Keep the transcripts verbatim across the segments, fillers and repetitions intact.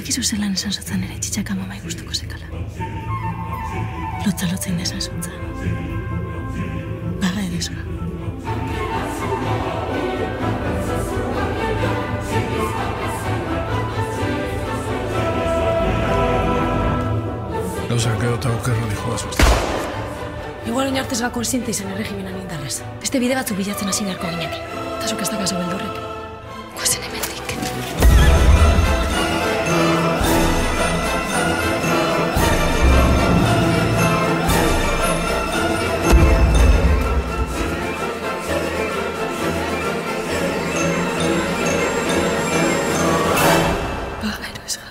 Bakizu zelan esan zutzen ere txitxaka mamai gustuko zekala. Lotza lotzen esan zutzen. Baga edezua. Gauzak gero eta okerra dijoa zuzten. Igual oinartez ba konsiente izan erregimenan indarrez. Beste bide batzuk bilatzen hasi beharko gineke. Eta zuk ez dakazu beldurrek. Guazen hemendik. Baga eroesga.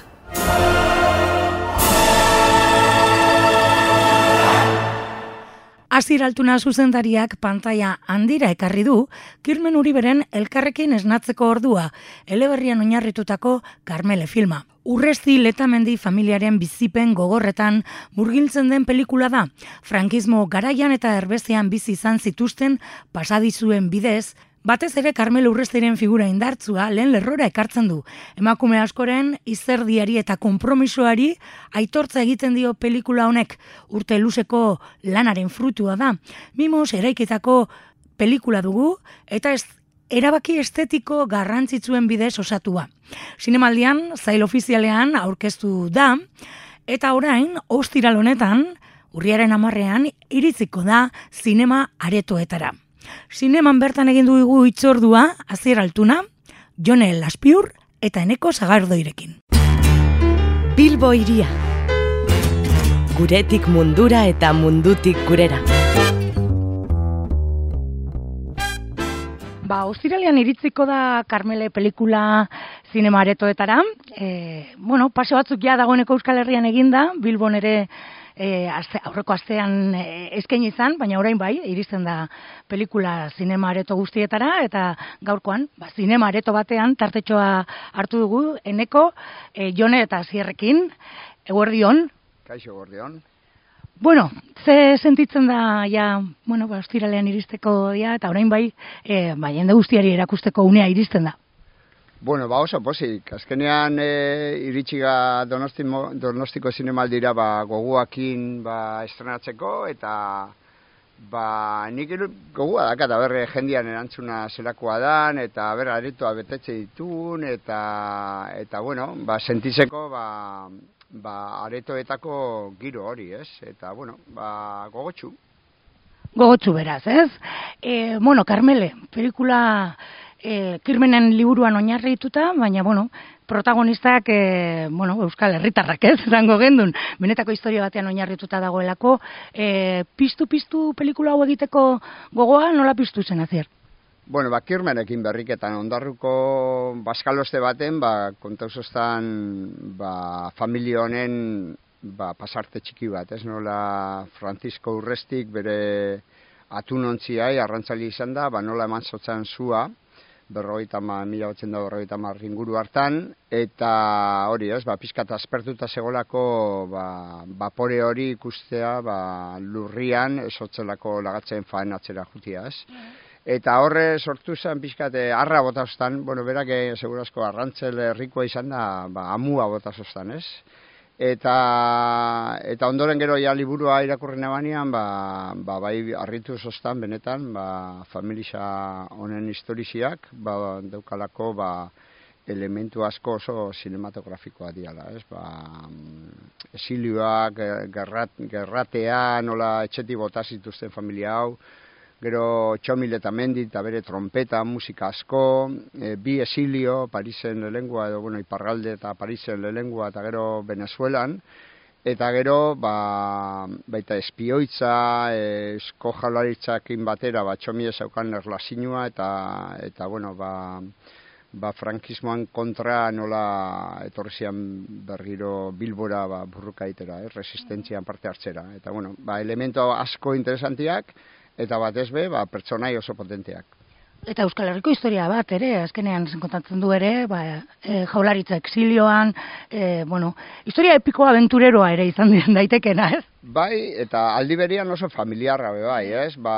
Asier Altuna zuzendariak pantaila handira ekarri du Kirmen Uriberen Elkarrekin esnatzeko ordua, eleberrian oinarritutako Karmele filma. Urresti Letamendi familiaren bizipen gogorretan murgiltzen den pelikula da. Frankismo garaian eta erbezean bizi izan zituzten pasadizuen bidez, batez ere Karmele Urrestiren figura indartzua lehen lerrora ekartzen du. Emakume askoren izerdiari eta konpromisoari aitortza egiten dio pelikula honek. Urte luzeko lanaren frutua da. Mimos eraikitako pelikula dugu eta ez erabaki estetiko garrantzitsuen bidez osatua. Zinemaldian, zail ofizialean aurkeztu da, eta orain, ostiral honetan, urriaren hamarrean, iritziko da zinema aretoetara. Zineman bertan egin dugu hitzordua Asier Altuna, Jone Laspiur eta Eneko Sagardoirekin. Bilbo hiria. Guretik mundura eta mundutik gurera. Ba, ostiralean iritziko da Karmele pelikula zinema aretoetara. E, bueno, paseo batzuk ja dagoeneko Euskal Herrian eginda, Bilbon ere E, azte, aurreko astean e, eskaini izan, baina orain bai, iristen da pelikula zinema areto guztietara, eta gaurkoan, ba, zinema areto batean, tartetxoa hartu dugu, Eneko, e, Jone eta Asierrekin, eguerdion. Kaixo, eguerdion. Bueno, ze sentitzen da, ja, bueno, ba, ostiralean iristeko dia, eta orain bai, e, ba, jende guztiari erakusteko unea iristen da. Bueno, ba oso posik. Azkenean e, iritsiga Donosti, Donostiko zinemaldira ba, goguakin ba, estrenatzeko, eta ba, nik gogua dakat, berre jendian erantzuna zelakoa dan, eta berra aretoa betetze ditun, eta, eta bueno, ba, sentitzeko ba, ba, aretoetako giro hori, ez? Eta, bueno, ba, gogotxu. Gogotxu beraz, ez? E, bueno, Karmele, pelikula E, Kirmenen liburuan oinarrituta, baina, bueno, protagonistak, e, bueno, Euskal Herritarrak, ez, zango gendun, benetako historia batean oinarrituta dagoelako, e, piztu-piztu pelikula hau egiteko gogoa, nola piztu zen, Asier? Bueno, ba, Kirmenekin berriketan ondarruko baskaloste baten, ba, kontauzostan, ba, familia honen, ba, pasarte txiki bat, ez, nola Francisco Urrestik bere atunontziai, arrantzali izan da, ba, nola eman zotzan zua, berrogeita ma, mila batzen da berrogeita ma inguru hartan, eta hori ez, ba, pizkat aspertuta segolako ba, bapore hori ikustea ba, lurrian, esotzelako lagatzen faenatzera jutia ez. Eta horre sortu zen pizkat arra botazostan, bueno, berak segurazko arrantzel herrikoa izan da, ba, amua botazostan ez. Eta, eta ondoren gero ja liburua irakurren ebanean, ba, ba, bai harritu zoztan benetan, ba, familia honen historiziak, ba, daukalako ba, elementu asko oso sinematografikoa diala, ez? Ba, esilioak, gerrat, gerratea, nola etxetik bota zituzten familia hau, gero Txomil eta Mendi eta bere trompeta, musika asko, e, bi esilio, Parisen lelengua, edo, bueno, Iparralde eta Parisen lelengua, eta gero Venezuelan, eta gero, ba, baita espioitza, esko jalaritzakin batera, ba, Txomil ezaukan erlazinua, eta, eta bueno, ba, ba, frankismoan kontra nola etorrizian berriro Bilbora ba, burruka itera, eh, resistentzian parte hartzera. Eta, bueno, ba, elemento asko interesantiak, eta batez be, ba, pertsonai oso potenteak. Eta Euskal Herriko historia bat ere, azkenean kontatzen du ere, ba, e, jaularitza exilioan, e, bueno, historia epiko aventureroa ere izan daitekena, ez? Bai, eta aldi berian oso familiarra be bai, ez? Ba,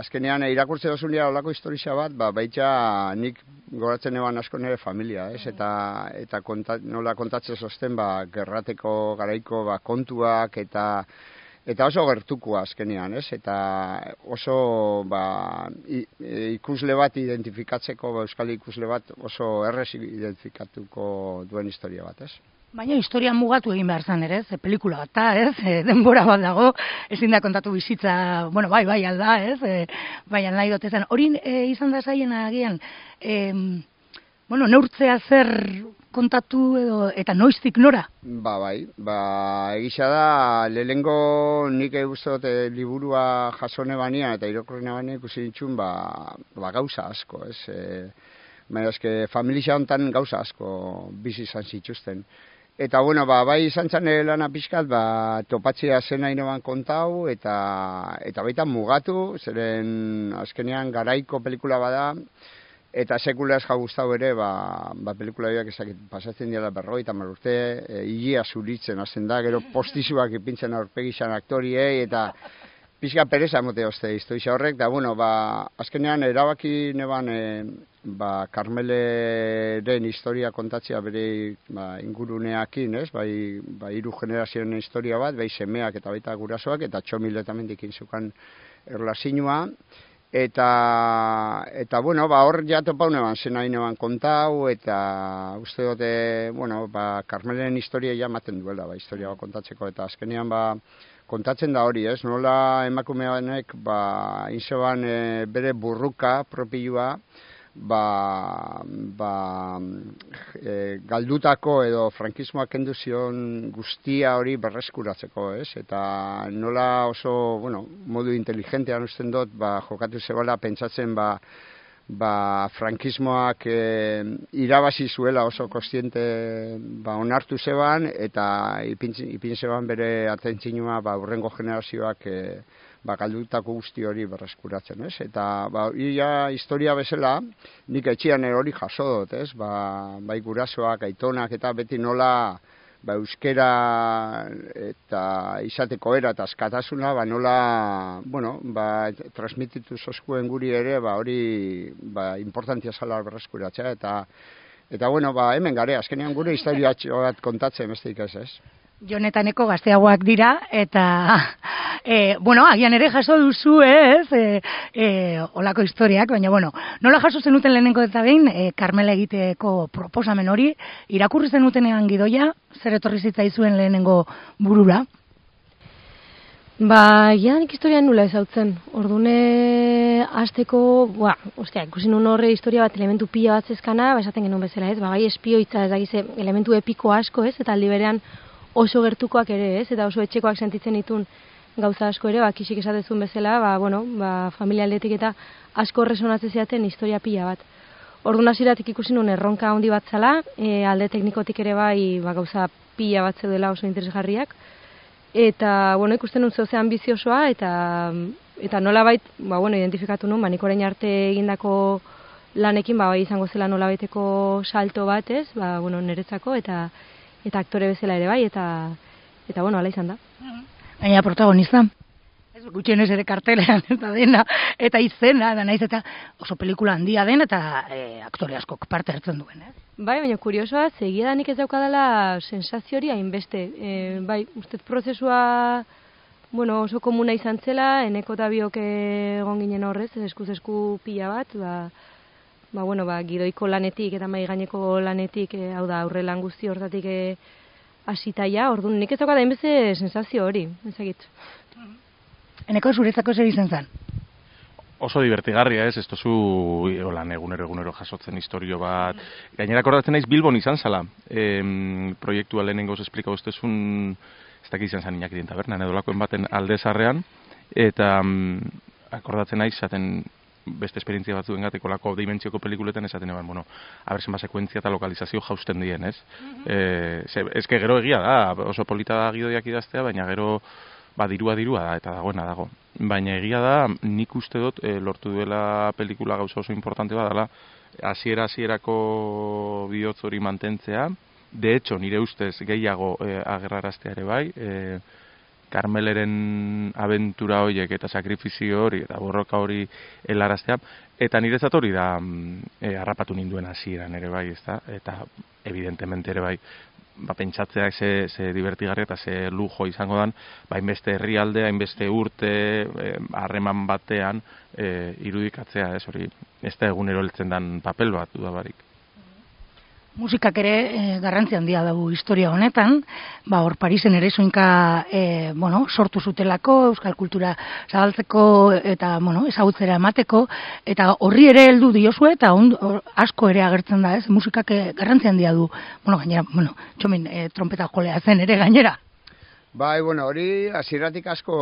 azkenean irakurtze dozunia olako historia bat, ba, baita nik goratzen eban asko nire familia, ez? Eta, eta konta, nola kontatzen zosten, ba, gerrateko garaiko ba, kontuak eta Eta oso gertukoa azkenean, ez? Eta oso ba, ikusle bat identifikatzeko, ba, euskal ikusle bat oso errez identifikatuko duen historia bat, ez? Baina historia mugatu egin behar zan ere, ze pelikula bat da, ez? E, denbora bat dago, ezin da kontatu bizitza, bueno, bai, bai, alda, ez? E, baina nahi dotezan. Hori e, izan da zaien agian, e, bueno, neurtzea zer kontatu edo eta noiztik nora? Ba, bai, ba, egisa da, lehengo nik eguztot e, liburua jasone banian eta irakurrena banian ikusi ditxun, ba, ba, gauza asko, ez? E, baina eske familia honetan gauza asko bizi izan zituzten. Eta, bueno, ba, bai izan zan lana pixkat, ba, topatzea zena inoan kontau, eta, eta baita mugatu, zeren azkenean garaiko pelikula bada, eta sekula ez gustau ere, ba, ba pelikula horiek ezakit pasatzen dira berroi eta marurte, e, hilia zuritzen hasten da, gero postizuak ipintzen aurpegizan aktoriei, eta pixka pereza mote hoste historia horrek, da, bueno, ba, azkenean erabaki neban, e, ba, Karmeleren historia kontatzea bere ba, inguruneakin, ez? Bai, ba, hiru generazioen historia bat, bai semeak eta baita gurasoak, eta txomiletamendik inzukan erlazinua, Eta, eta bueno, ba, hor ja topau neban, zena neban kontau, eta uste dute, bueno, ba, Karmelen historia ja maten duela, ba, historia ba, kontatzeko, eta azkenean, ba, kontatzen da hori, ez? Nola emakumeanek, ba, inzeban e, bere burruka propioa, ba, ba e, galdutako edo frankismoak kendu zion guztia hori berreskuratzeko, ez? Eta nola oso, bueno, modu inteligentean usten dut, ba, jokatu zebala pentsatzen, ba, ba frankismoak e, irabazi zuela oso kostiente ba, onartu zeban, eta ipin, ipin zeban bere atentzinoa ba, urrengo generazioak e, ba, galdutako guzti hori berreskuratzen, ez? Eta, ba, ia historia bezala, nik etxian hori jaso dut, ez? Ba, bai gurasoak, aitonak, eta beti nola, ba, euskera eta izateko era eta askatasuna, ba, nola, bueno, ba, transmititu zoskuen guri ere, ba, hori, ba, importantia zala berreskuratzea, eta, eta, bueno, ba, hemen gare, azkenean gure historia bat kontatzen, besteik ez, ez? Jonetaneko gazteagoak dira, eta, e, bueno, agian ere jaso duzu, ez, e, e, olako historiak, baina, bueno, nola jaso zenuten lehenengo eta behin, e, Karmela egiteko proposamen hori, irakurri zenutenean gidoia, zer etorri zitzaizuen lehenengo burura? Ba, ja, nik historia nula ezautzen. Ordune, hasteko, ba, ostia, ikusi nun horre historia bat elementu pila bat zezkana, ba, esaten genuen bezala, ez, ba, gai espioitza, ez dakize, elementu epiko asko, ez, eta aldi berean oso gertukoak ere, ez, eta oso etxekoak sentitzen ditun gauza asko ere, ba, kisik esatezun bezala, ba, bueno, ba, familia aldetik eta asko resonatzen ziaten historia pila bat. Orduan hasieratik ikusi nun erronka handi bat zala, e, alde teknikotik ere bai, ba, gauza pila bat zeudela oso interesgarriak, eta, bueno, ikusten nun zehose ambiziosoa, eta, eta nolabait, ba, bueno, identifikatu nun, ba, nik orain arte egindako lanekin, ba, bai izango zela nolabaiteko salto bat, ez, ba, bueno, niretzako, eta eta aktore bezala ere bai, eta, eta bueno, ala izan da. Baina protagonista, ez gutxienez ere kartelean eta dena, eta izena, da naiz eta oso pelikula handia den, eta e, aktore askok parte hartzen duen, ez? Bai, baina kuriosoa, segia da nik ez daukadala sensazio hori hainbeste. E, bai, ustez prozesua, bueno, oso komuna izan zela, eneko eta biok egon ginen horrez, eskuz esku pila bat, ba, ba, bueno, ba, gidoiko lanetik eta mai gaineko lanetik, e, hau da, aurre lan guzti hortatik e, asitaia, orduan nik ez daukat hainbeste sensazio hori, ezagit. Eneko zuretzako zer izan zen? Oso divertigarria, ez, ez tozu holan egunero egunero jasotzen historio bat. Gainera akordatzen naiz Bilbon izan zala. E, proiektua lehenengoz esplika ustezun, ez dakit izan zan Iñaki tabernan edo lakoen baten aldezarrean, eta um, akordatzen naiz zaten beste esperientzia batzuen gateko lako dimentsioko pelikuletan esaten eban, bueno, abertzen ba sekuentzia eta lokalizazio jausten dien, ez? Mm-hmm. E, ze, ezke gero egia da, oso polita da gidoiak idaztea, baina gero ba, dirua dirua da, eta dagoena dago. Baina egia da, nik uste dut, e, lortu duela pelikula gauza oso importante bat dela, hasiera hasierako bihotz hori mantentzea, de hecho, nire ustez gehiago e, agerraraztea ere bai, e, Karmeleren abentura horiek eta sakrifizio hori eta borroka hori helaraztea, eta niretzat hori da e, harrapatu ninduen hasieran ere bai, ezta? Eta evidentemente ere bai, ba, pentsatzea ze, ze divertigarria eta ze lujo izango dan, ba, hainbeste herrialde, hainbeste urte, harreman batean e, irudikatzea, ez hori, ez da egunero heltzen dan papel bat, dudabarik. Musikak ere e, garrantzi handia dugu historia honetan, ba hor Parisen ere soinka e, bueno, sortu zutelako, euskal kultura zabaltzeko eta bueno, ezagutzera emateko, eta horri ere heldu diozue eta on, or, asko ere agertzen da, ez? Musikak e, garrantzi handia du. Bueno, gainera, bueno, Txomin e, trompeta jolea zen ere gainera. Bai, bueno, hori hasieratik asko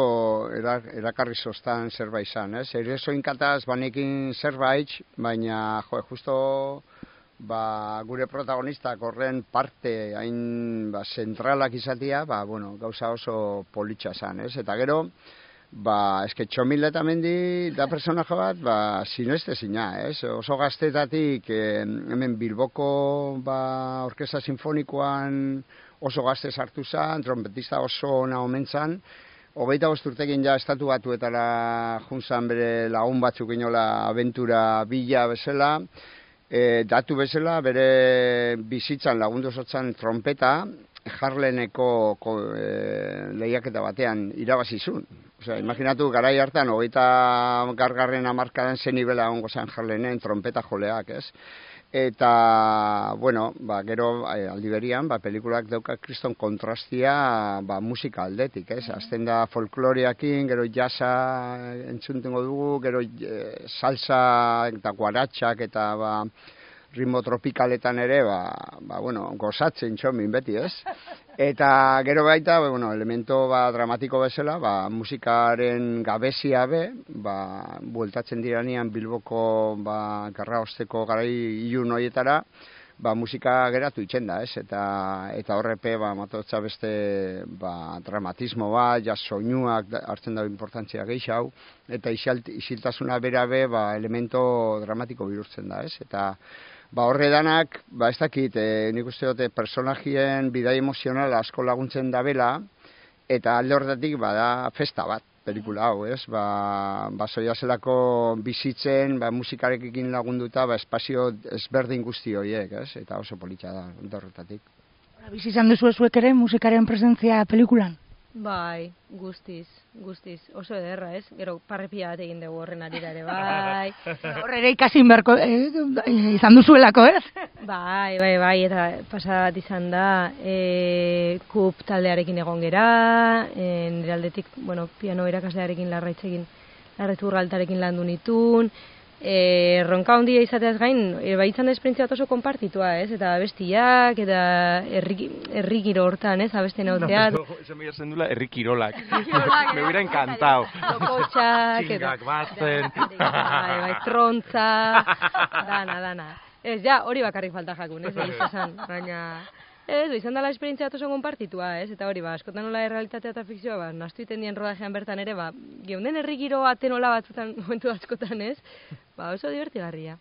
erakarri zoztan zerbait izan, ez? Ere soinkataz banekin zerbait, baina jo, justo ba, gure protagonistak horren parte hain ba, zentralak izatea, ba, bueno, gauza oso politxa zan, ez? Eta gero, ba, eske Txomil eta Mendi da personaje bat, ba, sineste zina, ez? Oso gaztetatik, eh, hemen Bilboko ba, orkestra sinfonikoan oso gazte sartu zan, trompetista oso ona omen zan, hogeita bost urtekin ja estatu batuetara junzan bere lagun batzuk inola abentura bila bezala, E, datu bezala, bere bizitzan lagundu zotzan trompeta, Harleneko ko, e, lehiaketa batean irabazizun. Osea, imaginatu, garai hartan, hogeita gargarren hamarkadan zen nibela ongo zen Harlenen trompeta joleak, ez? Eta, bueno, ba, gero aldi berian, ba, pelikulak dauka kriston kontrastia ba, musika aldetik, ez? Azten da folkloreakin, gero jazza entzuntengo dugu, gero e, salsa eta guaratxak eta ba, ritmo tropikaletan ere, ba, ba, bueno, gozatzen Txomin beti, ez? Eta gero baita, bueno, elemento ba, dramatiko bezala, ba, musikaren gabezia be, ba, bueltatzen diranean Bilboko ba, garra osteko garai ilun horietara, ba, musika geratu itzen da, ez? Eta, eta horrepe, ba, matotza beste ba, dramatismo bat, ja soinuak hartzen da importantzia gehiago, eta isiltasuna berabe ba, elemento dramatiko bihurtzen da, ez? Eta ba, horre danak, ba, ez dakit, e, nik uste dute personajien bidai emozionala asko laguntzen dabela, eta alde horretatik bada festa bat, pelikula hau, ez? Ba, ba zoiazelako bizitzen, ba, musikarekin lagunduta, ba, espazio ezberdin guzti horiek, ez? Eta oso politxa da, alde horretatik. Bizi izan duzu zuek ere musikaren presentzia pelikulan? Bai, guztiz, guztiz. Oso ederra, ez? Gero parrepia bat egin dugu horren arira ere, bai. Horre ere ikasin beharko eh, izan duzuelako, ez? Bai, bai, bai, eta pasa bat izan da, e, kup taldearekin egon gera, e, nire aldetik, bueno, piano irakaslearekin larraitzekin, larraitzu urraltarekin landu nitun, e, ronka handia izateaz gain, e, bai izan da esperientzia bat oso konpartitua, ez? Eta bestiak, eta herri giro hortan, ez? Abesten hauteat. No, no, eso me llasen dula herri kirolak. Me hubiera encantado. Tokotxak, txingak batzen. Bai, bai, trontza, dana, dana. Ez, ja, hori bakarrik falta jakun, ez? Izan, baina... Ez, izan dela esperientzia oso konpartitua, ez? Eta hori, ba, askotan nola errealitatea eta fikzioa, ba, nastu iten dien rodajean bertan ere, ba, geunden herri giro atenola batzutan, momentu askotan, ez? Ba, oso divertigarria.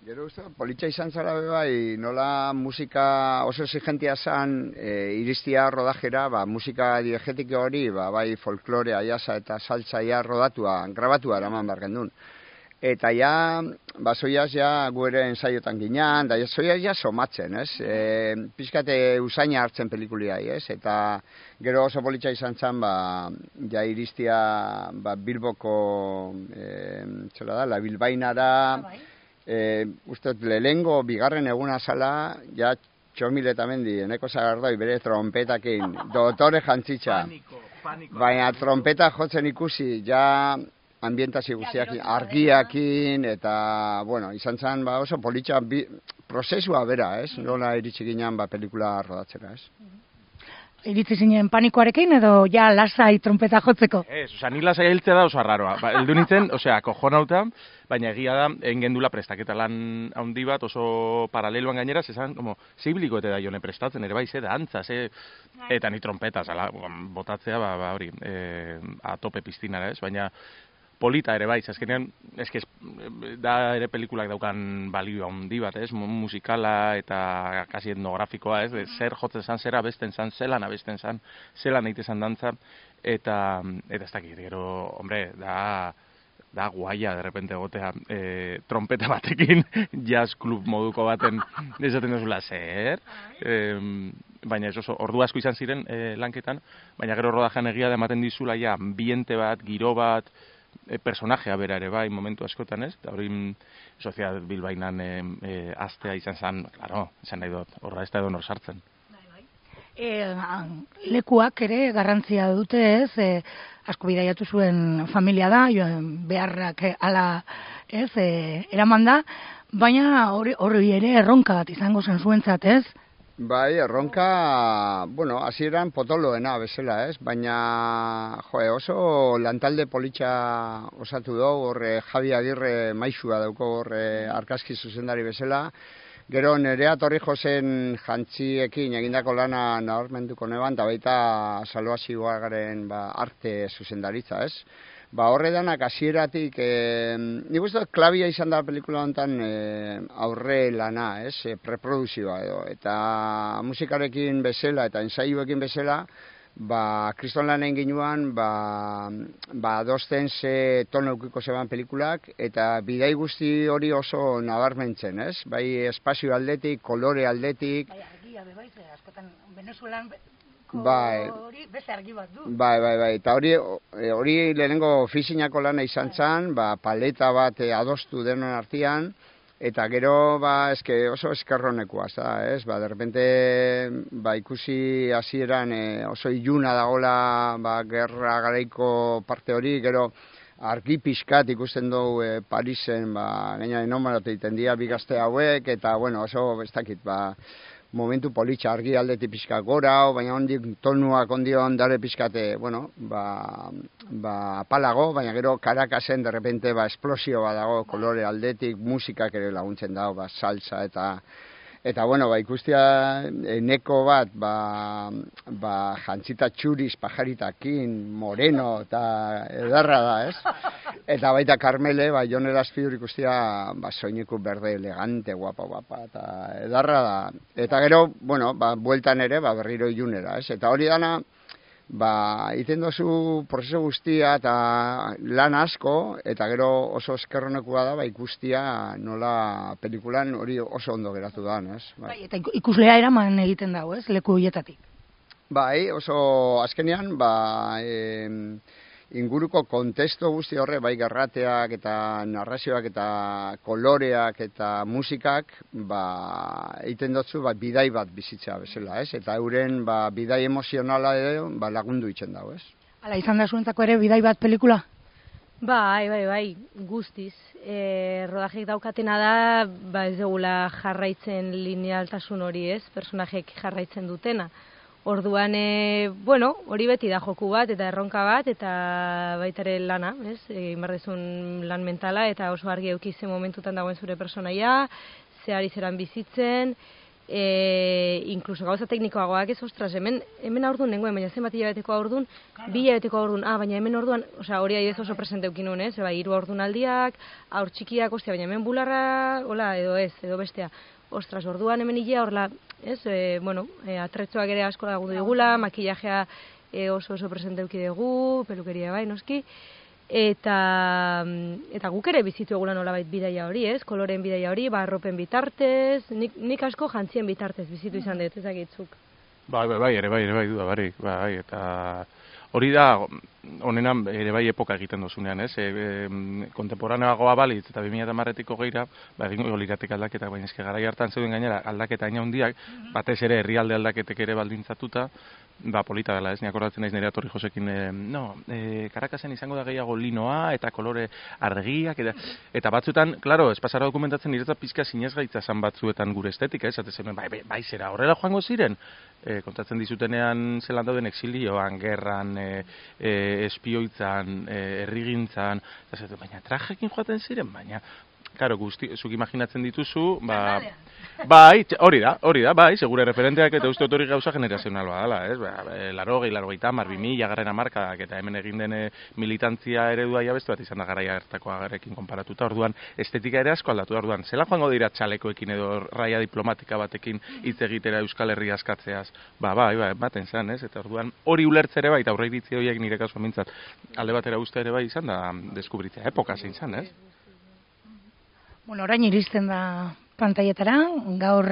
Gero uste, politxa izan zara bai, nola musika oso exigentia zan, e, iristia rodajera, ba, musika diegetiko hori, ba, bai folklorea, jasa eta saltzaia rodatua, grabatua eraman behar gendun. Eta ja, ba, zoiaz ja guere ensaiotan ginean, da zoiaz ja somatzen, ez? E, pizkate usaina hartzen pelikuliai, ez? Eta gero oso politxa izan zen, ba, ja iristia ba, Bilboko, e, txela da, la Bilbainara, e, uste, lehengo bigarren eguna zala, ja Txomil eta Mendi, eneko Sagardoi bere trompetakin, dotore jantzitza. Paniko, paniko. Baina trompeta jotzen ikusi, ja... ambientazio guztiakin, argiakin, eta, bueno, izan zen, ba, oso politxa, bi, prozesua bera, ez? Nola iritsi ginean, ba, pelikula rodatzera, ez? iritzi zinen panikoarekin edo ja lasai trompeta jotzeko? Ez, osea, ni lasai hiltzea da oso arraroa. Ba, heldu nintzen, osea, kojonauta, baina egia da, egin gendula prestaketa lan handi bat, oso paraleloan gainera, zezan, como, zibiliko eta da jone prestatzen, ere bai, ze da, antza, ze, eta ni trompeta, zala, botatzea, ba, ba hori, e, a tope piztinara, ez, baina, polita ere bai, azkenean, eske da ere pelikulak daukan balio handi bat, ez, musikala eta kasi etnografikoa, ez, de, zer jotzen zan, zer abesten zan, zelan abesten zan, zelan egite zan dantza, eta, eta ez dakit, gero, hombre, da, da guaia, de repente egotea, e, trompeta batekin, jazz klub moduko baten, esaten duzula, zer, e, baina ez oso, ordu asko izan ziren e, lanketan, baina gero rodajan egia da ematen dizula, ja, ambiente bat, giro bat, E, personajea bera ere bai momentu askotan, ez? Eta hori Soziedad Bilbainan e, e, astea izan zen, claro, izan nahi dut, horra ez da edo nor sartzen. E, lekuak ere garrantzia dute, ez? E, asko bidaiatu zuen familia da, joan beharrak ala, ez? E, eraman da, baina hori, hori ere erronka bat izango zen zuentzat, ez? Bai, erronka, bueno, hasieran potoloena bezala, ez? Baina, jo, oso lantalde politxa osatu dugu, horre Javi Agirre maixua dauko horre arkaski zuzendari bezala. Gero Nerea Torrijosen jantziekin egindako lana nabarmenduko neban, eta baita Salvazioagaren ba, arte zuzendaritza, ez? Ba, horre danak hasieratik, e, nik uste dut klabia izan da pelikula honetan e, aurre lana, ez, e, preproduzioa edo, eta musikarekin bezala eta ensaioekin bezala, ba, kriston lanen ginuan, ba, ba, adosten ze tono eukiko zeban pelikulak, eta bidai guzti hori oso nabarmentzen, ez, bai espazio aldetik, kolore aldetik. Bai, argia, bai, ze, askotan, Venezuelan... Bai, hori beste argi bat du. Bai, bai, bai, eta hori, hori lehenengo ofizinako lana izan zen, ba, paleta bat adostu denon artean, eta gero, ba, eske oso eskerronekoa, ez, ba, de repente, ba, ikusi hasieran e, oso iluna dagola, ba, gerra garaiko parte hori, gero, argi pixkat ikusten dugu e, Parisen, ba, gaina enomaratu egiten dira bigazte hauek, eta, bueno, oso, ez dakit, ba, momentu politxa argi aldetik pixka gora, baina ondik tonuak ondio ondare pixkate, bueno, ba, ba apalago, baina gero Caracasen de repente ba esplosio bat dago kolore aldetik, musikak ere laguntzen dago, ba salsa eta eta bueno, ba ikustia eneko bat, ba, ba jantzita txuriz pajaritakin, moreno eta edarra da, ez? Eta baita Carmele, ba Jon Eraspidur ikustia ba soineku berde elegante, guapa, guapa eta edarra da. Eta gero, bueno, ba bueltan ere ba berriro ilunera, ez? Eta hori dana ba egiten dozu prozesu guztia eta lan asko, eta gero oso eskerronekoa da ba ikustia nola pelikulan hori oso ondo geratu da, ez? Bai, eta ikuslea eraman egiten dago, ez? Leku hietatik. Bai, oso azkenean ba e, inguruko kontesto guzti horre, bai garrateak eta narrazioak eta koloreak eta musikak, ba, egiten dutzu, ba, bidai bat bizitza bezala, ez? Eta euren, ba, bidai emozionala edo, ba, lagundu itzen dago, ez? Hala, izan da zuentzako ere bidai bat pelikula? Bai, bai, bai, guztiz. E, rodajek daukatena da, ba, ez dugula jarraitzen linealtasun hori, ez? Personajek jarraitzen dutena. Orduan, e, bueno, hori beti da joku bat, eta erronka bat, eta baitare lana, ez? Egin behar dezun lan mentala, eta oso argi eukizen momentutan dagoen zure personaia, ze ari zeran bizitzen, e, inkluso gauza teknikoagoak ez, ostras, hemen, hemen aurdun nengoen, baina zenbat hilabeteko aurdun, bi hilabeteko aurdun, ah, baina hemen orduan, osea, hori ari ez oso presente eukinun, ez? Eba, hiru aurdun aldiak, aur txikiak, ostia, baina hemen bularra, hola, edo ez, edo bestea. Ostras, orduan hemen hilea horla, ez, e, bueno, e, atretzoak ere asko lagundu digula, makillajea e, oso oso presente euki dugu, pelukeria bai, noski, eta, eta guk ere bizitu egula nolabait bidaia hori, ez, koloren bidaia hori, barropen bitartez, nik, nik asko jantzien bitartez bizitu izan dut, ezagitzuk. Bai, bai, bai, ere bai, ere bai, duda, bai, bai, eta hori da, honenan ere bai epoka egiten dozunean, ez? E, e, kontemporaneagoa balitz eta bi mila hamarretiko geira, ba, egingo liratek aldaketak, baina eske garai hartan zeuden gainera aldaketa aina handiak, batez ere herrialde aldaketek ere baldintzatuta, ba, polita dela, ez? Ni akordatzen naiz Nerea Torrijosekin, e, no, e, Caracasen izango da gehiago linoa eta kolore argiak, eta, eta batzuetan, claro, ez pasara dokumentatzen niretzat pizka sinezgaitza zan batzuetan gure estetika, ez? Bai, bai, bai, zera, horrela joango ziren? e, kontatzen dizutenean zelan dauden exilioan, gerran, e, e, espioitzan, e, errigintzan, eta zaten, baina trajekin joaten ziren, baina, Karo, guzti, zuk imaginatzen dituzu, ba, bai, hori da, hori da, bai, segure referenteak eta uste hori gauza generazional badala, ez? Ba, laro, gehi, laro, gehi tamar, bimila, garren amarkadak, eta hemen egin den militantzia eredua jabestu bat izan da garaia hartako agarekin konparatuta, orduan, estetika ere asko aldatu, orduan, zela joango dira txalekoekin edo raia diplomatika batekin hitz egitera Euskal Herria askatzeaz, ba, bai, bai, baten zan, ez? Eta orduan, hori ulertze ere bai, eta horre iritzi horiek nire kasuan mintzat, alde batera uste ere bai izan da, deskubritzea, epoka zein zan, ez? Bueno, orain iristen da pantaietara, gaur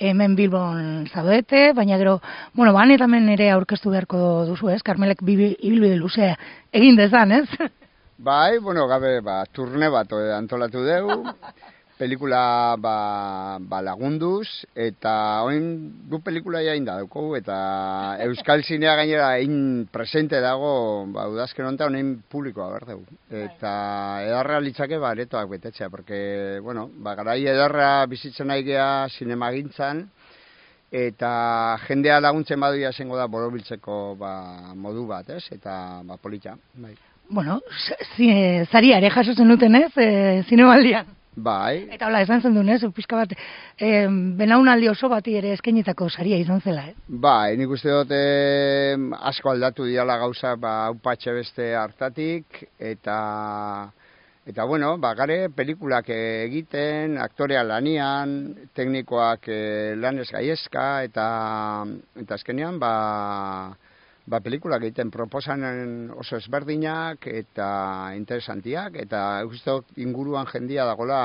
hemen Bilbon zaudete, baina gero, bueno, ban eta hemen ere aurkeztu beharko duzu, ez? Karmelek ibilbide luzea egin dezan, ez? Bai, bueno, gabe, ba, turne bat antolatu dugu, pelikula ba, ba lagunduz, eta oin gu pelikula jain da dugu, eta Euskal Zinea gainera egin presente dago, ba, udazken honetan honein publikoa behar dugu. Eta edarra litzake ba, aretoak betetzea, porque, bueno, ba, garai edarra bizitzen nahi geha zinemagintzan, eta jendea laguntzen baduia zengo da borobiltzeko ba, modu bat, ez? Eta ba, polita, bai. Bueno, zaria ere jaso zenuten, ez? E, zinemaldian. Bai. Eta hola, esan zen duen, ez? Pizka bat, e, benaunaldi oso bati ere eskenitako saria izan zela, eh? Bai, nik uste dut e, asko aldatu diala gauza, ba, upatxe beste hartatik, eta, eta bueno, ba, gare pelikulak egiten, aktorea lanian, teknikoak e, lanez gaiezka, eta, eta azkenean, ba, ba, pelikulak egiten proposanen oso ezberdinak eta interesantiak, eta uste inguruan jendia dagola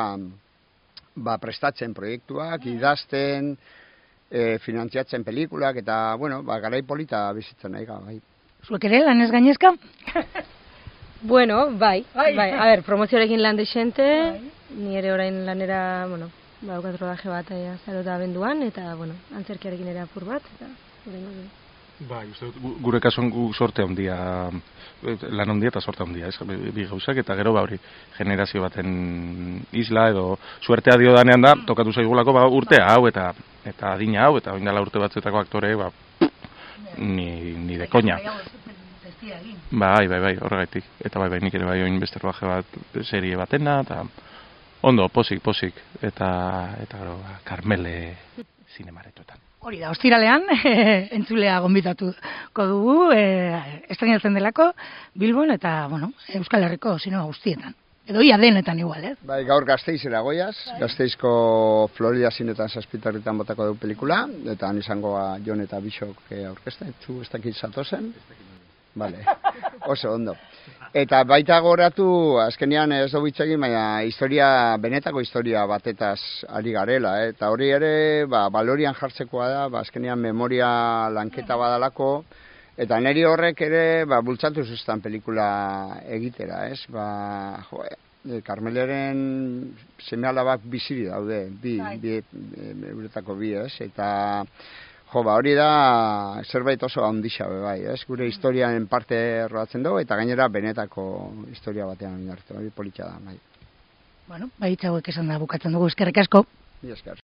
ba, prestatzen proiektuak, idazten, e, finantziatzen pelikulak, eta, bueno, ba, garai polita bizitzen nahi bai. Zuek ere, lanez gainezka? Bueno, bai, bai, bai, a ber, promozioarekin lan desente, bai. Ni ere orain lanera, bueno, ba, daukat rodaje bat azarota abenduan, eta, bueno, antzerkiarekin ere apur bat, eta, horrengo, Bai, uste dut, gure kasuan gu sorte handia, lan handia eta sorte handia, ez, bi gauzak, eta gero ba hori generazio baten isla edo suertea dio danean da, tokatu zaigulako ba, urtea hau eta eta adina hau, eta oindala urte batzuetako aktore, ba, ni, ni de koña. Bai, bai, bai, horregaitik, eta bai, bai, nik ere bai oin beste rodaje bat, serie batena, eta ondo, posik, posik, eta, eta gero, ba, Karmele zinemaretoetan. Hori da, ostiralean, entzulea gonbitatuko dugu, e, estrenatzen delako, Bilbon eta, bueno, Euskal Herriko zinema guztietan. Edo ia denetan igual, ez? Bai, gaur Gasteizera goiaz, Gasteizko Florida zinetan zazpitarritan botako dugu pelikula, eta han izangoa Jon eta Bixok aurkezten, zu ez dakit zatozen? Vale, oso ondo. Eta baita goratu, azkenean ez dugu hitz egin, baina historia, benetako historia batetaz ari garela, eh? Eta hori ere, ba, balorian jartzekoa da, ba, azkenean memoria lanketa badalako, eta niri horrek ere, ba, bultzatu zuztan pelikula egitera, ez? Ba, jo, e, Karmeleren seme-alabak biziri daude, bi, bi, euretako bi, ez? Eta jo, ba, hori da zerbait oso handixa bai, ez? Gure historiaren parte rodatzen dugu, eta gainera benetako historia batean inartu, hori politxa da, bai. Bueno, bai, txauek esan da bukatzen dugu, eskerrik asko. Bi esker.